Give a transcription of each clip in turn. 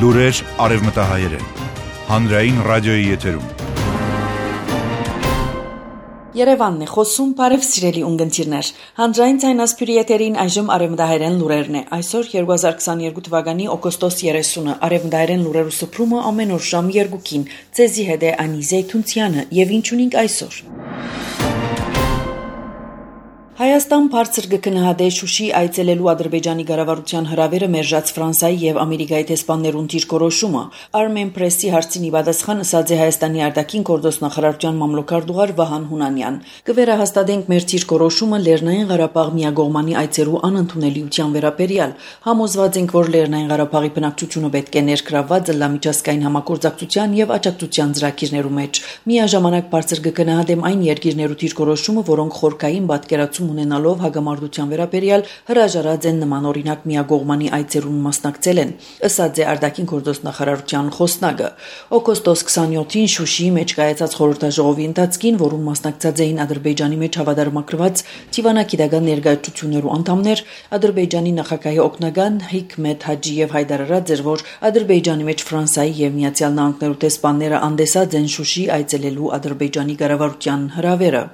Լուրեր արևմտահայերեն, հանրային ռադիոյի եթերում։ Երևանն է խոսում, բարև սիրելի ունգընտիրներ։ Հանրային ցայնասպյուրի եթերին այժմ արևմտահայերեն լուրերն է։ Այսօր 2022 թվականի օգոստոս 30-ը արևմտահայերեն լուրերու սփռումը ամեն օր ժամ 2-ին։ Ձեզի հետ է Անի Զեյթունցյանը, եւ ինչ ունենք այսօր։ Հայաստան բարձր գքնահատե Շուշի այցելելու Ադրբեջանի ղարավարության հրավերը մերժած Ֆրանսիայի եւ Ամերիկայի տեսփաններուն դիրքորոշումը Armen Press-ի հարցին պատասխան ասաց է Հայաստանի արտաքին գործոստ նախարարության մամլոքարտուղար Վահան Հունանյան։ Կվերահաստատենք մեր դիրքորոշումը Լեռնային Ղարաբաղ միագողմանի այցերու անընդունելիության վերաբերյալ։ Համոզված ենք, որ Լեռնային Ղարաբաղի բնակչությունը պետք է ներգրավված լամիջազգային համագործակցության եւ աջակցության ծրագիրներու մեջ։ Միաժամանակ բարձր գքնահատեմ այն երկիրներու դիրքորոշումը, որոնք խորքային պատկերացում ունենալով հագամարտության վերաբերյալ հրաժարած են նմանօրինակ միագողմանի այցերուն մասնակցել են, ըստ է արտաքին գործոստ նախարարության խոսնակը։ Օգոստոս 27-ին Շուշիի մեջ կայացած խորհրդաժողովի ընթացքին, որում մասնակցած էին Ադրբեջանի մեջ հավատարմագրված Թիվանագիտական ներկայացություններու անդամներ, Ադրբեջանի նախագահի օգնական Հիկմետ Հաջիև հայտարարած էր, որ Ադրբեջանի մեջ Ֆրանսիայի եւ Միացյալ Նահանգներու տեսփանները անդեսած են Շուշի այցելելու Ադրբեջանի ղարավարության հրավերը։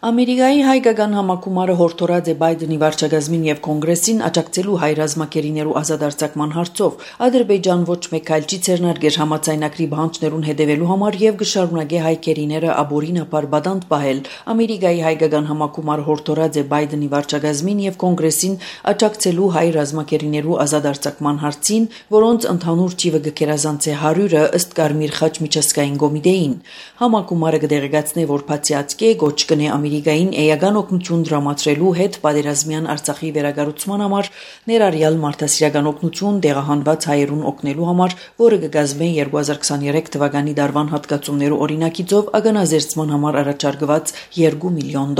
Ամերիկայի հայկական համակումարը հորդորած է Բայդենի վարչակազմին եւ կոնգրեսին աջակցելու հայ ռազմակերիներու ազատարձակման հարցով։ Ադրբեջան ոչ մեկ այլ չի ցերնարգեր համաձայնագրի բանջներուն հետևելու համար եւ գշարունակե հայ կերիները աբորինապար բադանտ պահել։ Ամերիկայի հայկական համակումարը հորդորած է Բայդենի վարչակազմին եւ կոնգրեսին աջակցելու հայ ռազմակերիներու ազատարձակման հարցին, որոնց ընդհանուր թիվը գերազանց է 100-ը ըստ Կարմիր խաչ միջազգային կոմիտեին։ Համակումարը կդեղեկացնե, որ բացիացկե գոչ կնե Ամերիկային էական օգնություն դրամատրելու հետ պատերազմյան Արցախի վերագառուցման համար ներառյալ մարդասիրական օգնություն դեղահանված հայերուն օգնելու համար, որը կգազմե 2023 թվականի դարվան հատկացումներու օրինակիցով ագանազերծման համար առաջարկված $2 միլիոն։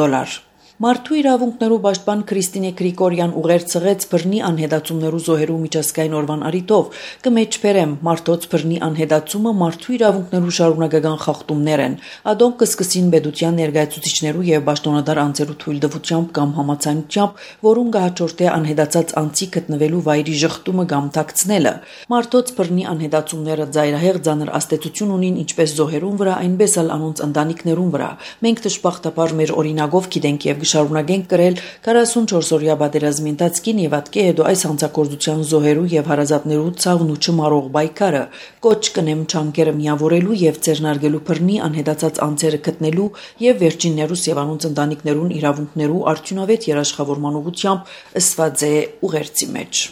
Մարդու իրավունքներու պաշտպան Քրիստինե Գրիգորյան ուղերձեց բռնի անհետացումներու զոհերու միջազգային օրվան առիթով կմեջբերեմ մարդոց բռնի անհետացումը մարդու իրավունքներու շարունակական խախտումներ են։ Ադոնք կսկսին պետության ներկայացուցիչներու եւ պաշտոնատար անձերու թույլտվությամբ կամ համաձայնությամբ, որուն կհաջորդե անհետացած անձի գտնվելու վայրի ժխտումը կամ թաքցնելը։ Մարդոց բռնի անհետացումները ծայրահեղ ծանր աստեցություն ունին ինչպես զոհերուն վրա, այնպես էլ անոնց ընտանիքներուն վրա։ Մենք դժբախտաբար մեր օրինակով գիտենք եւ շարունակենք կրել 44-օրյա պատերազմի ընթացքին եւ ատկե հետո այս հանցագործության զոհերու եւ հարազատներու ցավն ու չմարող բայկարը կոչ կնեմ չանկերը միավորելու եւ ձեռնարկելու բռնի անհետացած անձերը գտնելու եւ վերջիններուս եւ անոնց ընտանիքներուն իրավունքներու արդյունավետ երաշխավորման ուղղությամբ ըսված է ուղերձի մեջ։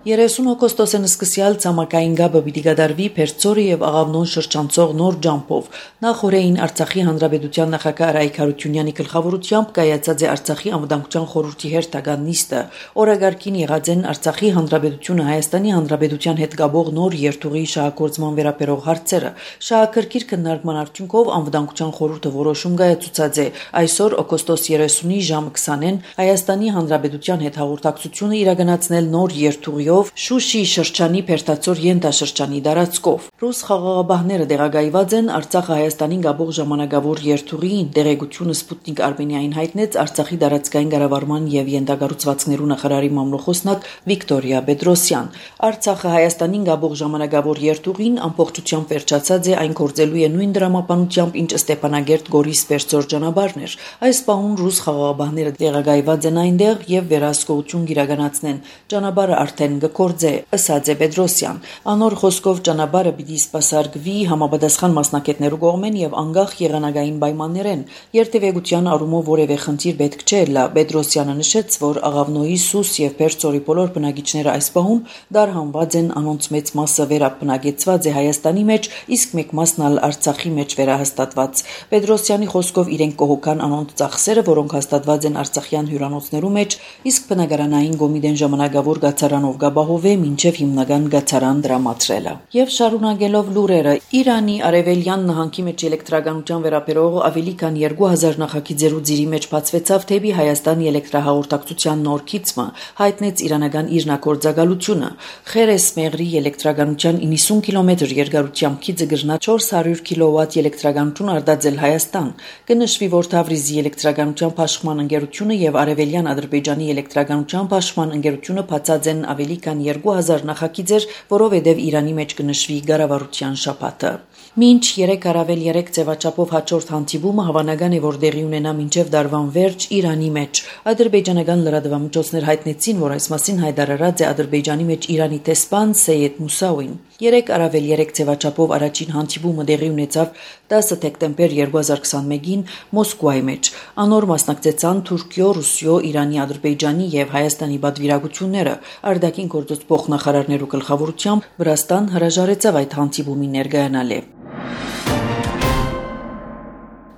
30 օգոստոսն սկսյալ ցամաքային գաբը պիտի կատարվի Փերծորի եւ Աղավնոն շրջանցող նոր ջամփով։ Նախորդին Արցախի հանրապետության նախագահ Արայք Հարությունյանի գլխավորությամբ կայացած է Արցախի անվտանգության խորհրդի հերթական նիստը։ Օրագարկին եղած են Արցախի հանրապետությունը Հայաստանի հանրապետության հետ գաբող նոր երթուղի շահագործման վերաբերող հարցերը։ Շահակրկիր քննարկման արդյունքով անվտանգության խորհուրդը որոշում կայացուցած է այսօր օգոստոս 30-ի ժամը 20-ին Հայաստանի հանրապետության հետ հաղորդակցությունը իրականացնել նոր երթուղի Շուշի շրջանի Փերտացոր ենթաշրջանի դարածքով։ Ռուս խաղաղապահները դեղագայված են Արցախը Հայաստանին գաբող ժամանակավոր երթուղիին։ Դեղեցությունը Սպուտնիկ Արմենիային հայտնեց Արցախի դարածքային կառավարման եւ յենթագառուցվածքներու նախարարի մամլոխոսնակ Վիկտորիա Պետրոսյան։ Արցախը Հայաստանին գաբող ժամանակավոր երթուղին ամբողջությամբ վերջացած է, այն գործելու է նույն դրամապանությամբ, ինչ Ստեփանագերտ Գորիս Փերծոր ճանապարհն էր։ Այս պահուն ռուս խաղաղապահները դեղագայված են այնտեղ եւ վերահսկողություն իրականացնեն։ Ճանապարհը արդեն գործե, ըսած է Պետրոսյան։ Անոր խոսքով ճանապարհը պիտի սպասարկվի համապատասխան մասնակիցներու կողմեն եւ անգախ եղանակային պայմաններեն։ Երթևեկության առումով որևէ խնդիր պետք չէ լա։ Պետրոսյանը նշեց, որ Աղավնոյի, Սուս եւ Փերծորի բոլոր բնակիչները այս պահում դարհանված են, անոնց մեծ մասը վերաբնակեցված է Հայաստանի մեջ, իսկ մեկ մասն ալ Արցախի մեջ վերահաստատված։ Պետրոսյանի խոսքով իրենք կողոքան անոնց ծախսերը, որոնք հաստատված են արցախյան հյուրանոցներու մեջ, իսկ բնակարանային կոմիտեն ժամանակավոր գացարանով գաբահովե մինչև հիմնական գացարան դրամատրելը։ Եվ շարունակելով լուրերը, Իրանի արևելյան նահանգի մեջ էլեկտրականության վերաբերող ավելի քան 2000 նախագիծերու ձիրի մեջ բացվեցավ թեպի Հայաստանի էլեկտրահաղորդակցության նոր քիծը, հայտնեց իրանական իրնակորձակալությունը։ Խերես Մեղրի էլեկտրականության 90 կիլոմետր երկարությամբ քիծը գրնա 400 կիլովատ էլեկտրականություն արտադրել Հայաստան։ Կնշվի, որ Թավրիզի էլեկտրականության փաշխման ընկերությունը եւ արևելյան Ադրբեջանի էլեկտրականության փաշխման ընկերությունը բացած են ավելի ավելի քան 2000 նախագիծ էր, որովհետև Իրանի մեջ կնշվի Գարավարության շաբաթը։ Մինչ 3+3 ձևաչափով հաջորդ հանդիպումը հավանական է, որ դեղի ունենա մինչև դարվան վերջ Իրանի մեջ։ Ադրբեջանական լրատվամիջոցներ հայտնեցին, որ այս մասին հայտարարած է Ադրբեջանի մեջ Իրանի տեսփան Սեյեդ Մուսավին։ 3+3 ձևաչափով առաջին հանդիպումը դեղի ունեցավ 10 դեկտեմբեր 2021-ին Մոսկվայի մեջ։ Անոր մասնակցեցան Թուրքիո, Ռուսիո, Իրանի, Ադրբեջանի եւ Հայաստանի պատվիրակությունները։ Արտաքին գործոց փոխնախարարներու գլխավորությամբ Վրաստան հրաժարեցավ այդ հանդիպումին ներկայանալ։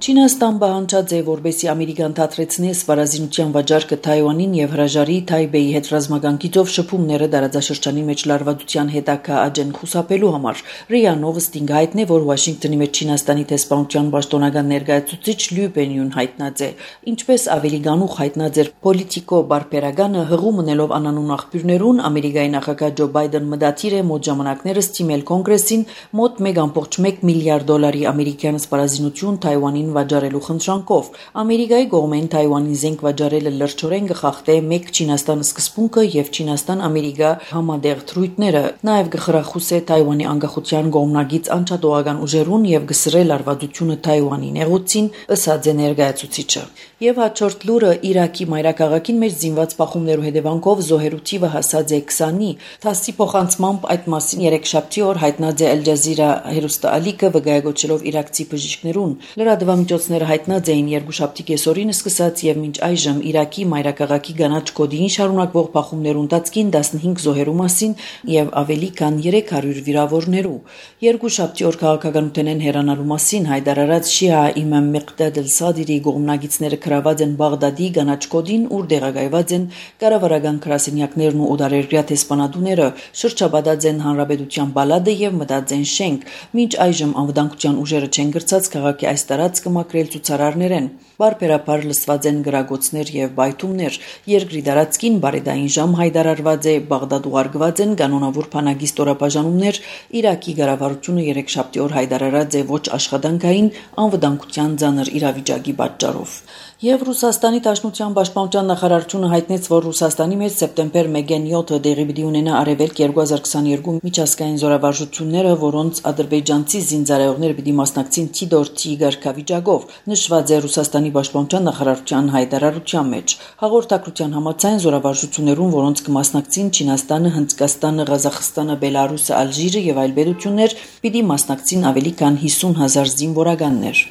Չինաստան պահանջած է, որպեսզի Ամերիկան դադրեցնի սպառազինության վաճառքը Թայվանին եւ հրաժարի Թայբեյի հետ ռազմական գիծով շփումները տարածաշրջանի մեջ լարվածության հետագա աջեն խուսափելու համար։ ՌԻԱ Նովոստին հայտնի, որ Վաշինգտոնի մեջ Չինաստանի տեսփանության պաշտոնական ներկայացուցիչ Լյու Բենյուն հայտնած է։ Ինչպես ավելի գանուխ հայտնած էր Պոլիտիկո բարբերականը հղում ունելով անանուն աղբյուրներուն, Ամերիկայի նախագահ Ջո Բայդեն մտադիր է մոտ ժամանակներս թիմել կոնգրեսին մոտ 1.1 միլիարդ դոլարի ամերիկյան սպառազինություն Թայվանին վաճառելու խնդրանքով։ Ամերիկայի կողմեն Թայվանին զենք վաճառելը լրջորեն կխախտե մեկ Չինաստան սկզբունքը եւ Չինաստան-Ամերիկա համադեղ թրույթները, նաեւ կխրախուսե Թայվանի անկախության կողմնագից անչափողական ուժերուն եւ կսրե լարվածությունը Թայվանի նեղուցին, ըսած է ներկայացուցիչը։ Եվ հաջորդ լուրը Իրաքի մայրաքաղաքին մեջ զինված բախումներու հետևանքով զոհերու թիվը հասած է 20-ի։ ԹԱՍՍ-ի փոխանցմամբ այդ մասին երեքշաբթի օր հայտնած է Al Jazeera հեռուստաալիքը վկայակոչելով իրաքցի բժիշկներուն։ Լրատվամիջոցները հայտնած էին երկուշաբթի կեսօրին սկսած եւ մինչ այժմ Իրաքի մայրաքաղաքի գանաչ կոդին շարունակվող բախումներու ընթացքին 15 զոհերու մասին եւ ավելի քան 300 վիրավորներու։ Երկուշաբթի օր քաղաքականութենեն հեռանալու մասին հայտարարած Շիա Իմամ Մեղդադ Ալ-Սադիրի կողմնագիցները գրաված են Բաղդադի գանաչ կոդին, ուր տեղակայված են կառավարական գրասենյակներն ու օտարերկրյա տեսփանատուները, շրջապատած են հանրապետության բալադը եւ մտած են շենք։ Մինչ այժմ անվտանգության ուժերը չեն գրծած քաղաքի այս տարածքը մաքրել ցուցարարներեն։ Բարբերաբար լսված են գրագոցներ եւ բայթումներ։ Երկրի տարածքին բարեդային ժամ հայտարարված է, Բաղդադ ուղարկված են կանոնավոր բանակի ստորաբաժանումներ։ Իրաքի կառավարությունը երեքշաբթի օր հայտարարած է ոչ աշխատանքային անվտանգության ծանր իրավիճակի պատճառով։ Եվ Ռուսաստանի Դաշնության պաշտպանության նախարարությունը հայտնեց, որ Ռուսաստանի մեջ սեպտեմբեր 1-ին 7-ը դեղի պիտի ունենա Արևելք 2022 միջազգային զորավարժությունները, որոնց ադրբեջանցի զինծառայողներ պիտի մասնակցին Թիդորթի ղեկավարությամբ, նշված է Ռուսաստանի պաշտպանության նախարարության հայտարարության մեջ։ Հաղորդակցության համաձայն զորավարժություններուն, որոնց կմասնակցին Չինաստանը, Հնդկաստանը, Ղազախստանը, Բելարուսը, Ալժիրը եւ այլ պետություններ, պիտի մասնակցին ավելի քան 50,000 զինվորականներ։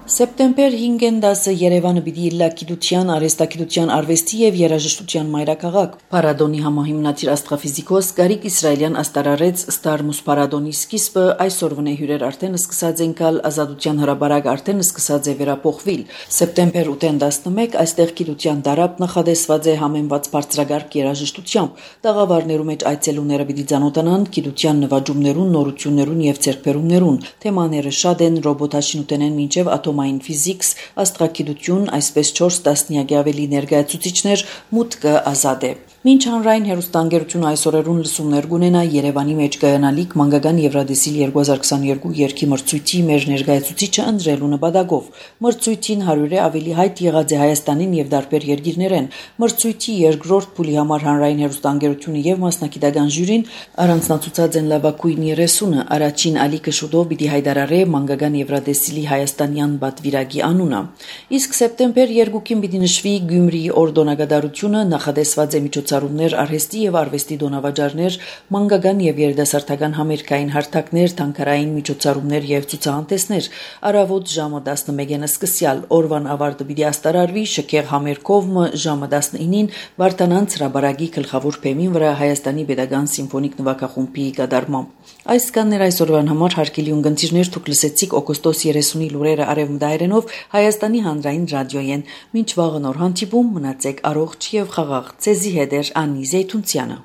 Սեպտեմբեր 5-ին 10-ը Երևանը պիտի իլլա գիտության, արհեստագիտության, արվեստի եւ երաժշտության մայրաքաղաք։ Փարադոնի համահիմնադիր աստղաֆիզիկոս Գարիկ Իսրայելյան աստարարեց Ստարմուս Փարադոնի սկիզբը, այսօրվա հյուրեր արդեն սկսած են գալ, ազատության հրապարակ արդեն սկսած է վերափոխվել։ Սեպտեմբեր 8-ին 11 այստեղ գիտության դարապ նախադեсված է համեմված բարձրագարկ երաժշտությամբ։ Տաղավարներու մեջ այցելուները պիտի ծանոթանան գիտության նվաճումներուն, նորություններուն եւ ձեռքբերումներուն։ Թեմաները շատ են՝ ռոբոտաշինութենեն մինչեւ ատոմային ֆիզիկս, աստղագիտություն, այսպես 4 տասնյակի ավելի ներկայացուցիչներ, մուտքը ազատ է։ Մինչ հանրային հեռուստաընկերությունը այսօրերուն լսումներ կունենա Երևանի մեջ կայանալիք մանկական Եվրադեսիլ 2022 երգի մրցույթի մեր ներկայացուցիչը ընտրելու նպատակով։ Մրցույթին 100-ը ավելի հայտ եղած է Հայաստանին եւ դարբեր երկիրներեն։ Մրցույթի երկրորդ փուլի համար հանրային հեռուստաընկերությունը եւ մասնակիտական ժյուրին առանձնացուցած են լավագույն 30-ը։ Առաջին ալիքը շուտով պիտի հայտարարի մանկական Եվրադեսիլի հայաստանյան պատվիրակի անունը։ Իսկ սեպտեմբեր 2-ին պիտի նշվի Գյումրիի օրդոնակատարությունը, նախադեсված է միջոցառումներ, արհեստի եւ արվեստի դոնավաճառներ, մանկական եւ երիտասարդական համերգային հարթակներ, թանգարային միջոցառումներ եւ ցուցահանդեսներ։ Առավոտ ժամը 11-ին սկսյալ օրվան ավարտը պիտի աստարարվի շքեղ համերգով ժամը 19-ին Վարդանանց հրապարակի գլխավոր բեմին վրա Հայաստանի Պետական սիմֆոնիկ նվագախումբի կատարմամբ։ Այս կաններ այսօրվան համար հարգելի ունկնդիրներ, դուք լսեցիք օգոստոս 30-ի լուրերը արևմտայերենով Հայաստանի հանրային ռադիոյեն։ Մինչ վաղը նոր հանդիպում, մնացեք առողջ եւ խաղաղ։ Ցեզի հետ է Անի Զեյթունցյանը։